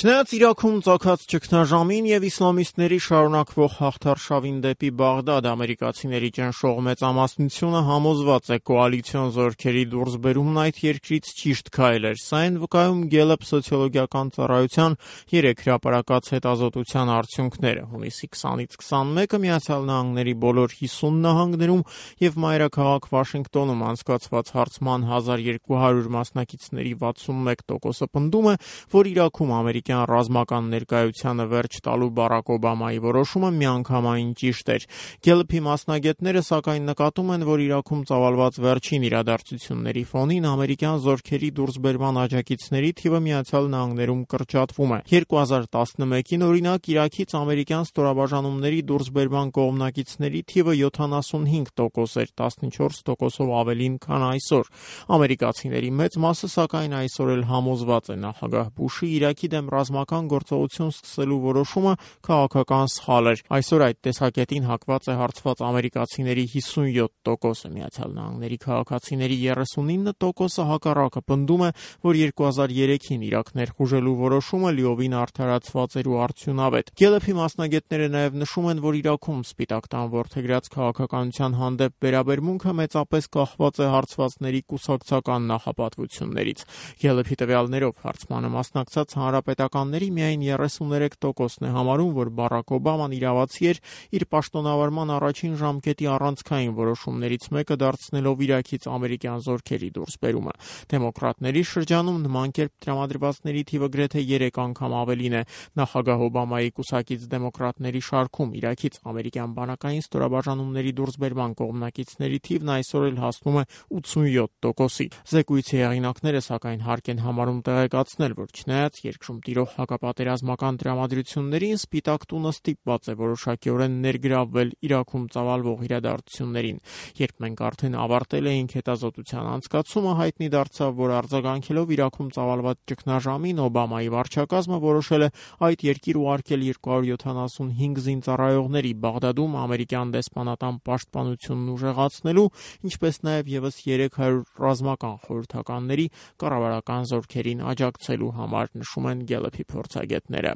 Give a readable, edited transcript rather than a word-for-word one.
Չնայած Իրաքում ծագած ճգնաժամին եւ իսլամիստների շարունակվող հաղթարշավին դեպի Բաղդադ ամերիկացիների ճնշող մեծամասնությունը համոզված է կոալիցիոն զորքերի դուրսբերումն այդ երկրից ճիշտ քայլ էր։ Սա են վկայում Gallup սոցիոլոգիական ծառայության 3 հրապարակած հետազոտության արդյունքները։ Հունիսի 20-ից 21-ը Միացյալ Նահանգների բոլոր 50 նահանգներում եւ մայրաքաղաք Վաշինգտոնում անցկացված հարցման 1200 մասնակիցների 61%-ը պնդում է, որ Իրաքում ամերիկյան ռազմական ներկայությանը վերջ տալու Բարաք Օբամայի որոշումը միանգամայն ճիշտ էր։ Gallup-ի մասնագետները սակայն նկատում են, որ Իրաքում ծավալված վերջին իրադարձությունների ֆոնին ամերիկյան զորքերի դուրսբերման աջակիցների թիվը Միացյալ Նահանգներում կրճատվում է։ 2011-ին օրինակ Իրաքից ամերիկյան ստորաբաժանումների դուրսբերման կողմնակիցների թիվը 75% էր, 14%-ով ավելին, քան այսօր։ Ամերիկացիների մեծ մասը սակայն այսօր էլ համոզված է նախագահ Բուշի Իրաքի դեմ ռազմական գործողություն սկսելու որոշումը քաղաքական սխալ էր։ Այսօր այդ տեսակետին հակված է հարցված ամերիկացիների 57%-ը, Միացյալ Նահանգների քաղաքացիների 39%-ը հակառակը պնդում է, որ 2003-ին Իրաք ներխուժելու որոշումը լիովին արդարացված էր ու արդյունավետ։ Gallup-ի մասնագետները նաև նշում են, որ Իրաքում Սպիտակ տան որդեգրած քաղաքականության հանդեպ վերաբերմունքը մեծապես կախված է հարցվածների կուսակցական նախապատվություններից։ Gallup-ի տվյալներով հարցմանը մասնակցած հանրապետականների միայն 33%-ն է համարում, որ Բարաք Օբաման իրավացի էր իր պաշտոնավարման առաջին ժամկետի առանցքային որոշումներից մեկը դարձնելով Իրաքից ամերիկյան զորքերի դուրսբերումը։ Դեմոկրատների շրջանում նման կերպ տրամադրվածների թիվը գրեթե 3 անգամ ավելին է։ Նախագահ Օբամայի կուսակից դեմոկրատների շարքում Իրաքից ամերիկյան բանակային ստորաբաժանումների դուրսբերման կողմնակիցների թիվն այսօր էլ հասնում է 87%-ի։ Զեկույցի հեղինակները սակայն հարկ են համարում տեղեկացնել, որ չնայած երկրում տիրող հակապատերազմական տրամադրություններին, Սպիտակ տունը ստիպված է որոշակիորեն ներգրավվել Իրաքում ծավալվող իրադարձություններին։ Երբ մենք արդեն ավարտել էինք հետազոտության անցկացումը, հայտնի դարձավ, որ արձագանքելով Իրաքում ծավալված ճգնաժամին, Օբամայի վարչակազմը որոշել է այդ երկիր ուղարկել 275 զինծառայողների Բաղդադում ամերիկյան դեսպանատան պաշտպանությունն ուժեղացնելու, ինչպես նաև եւս 300 ռազմական խորհրդականների կառավարական զորքերին աջակցելու համար, նշում են Gallup-ի փորձագետները։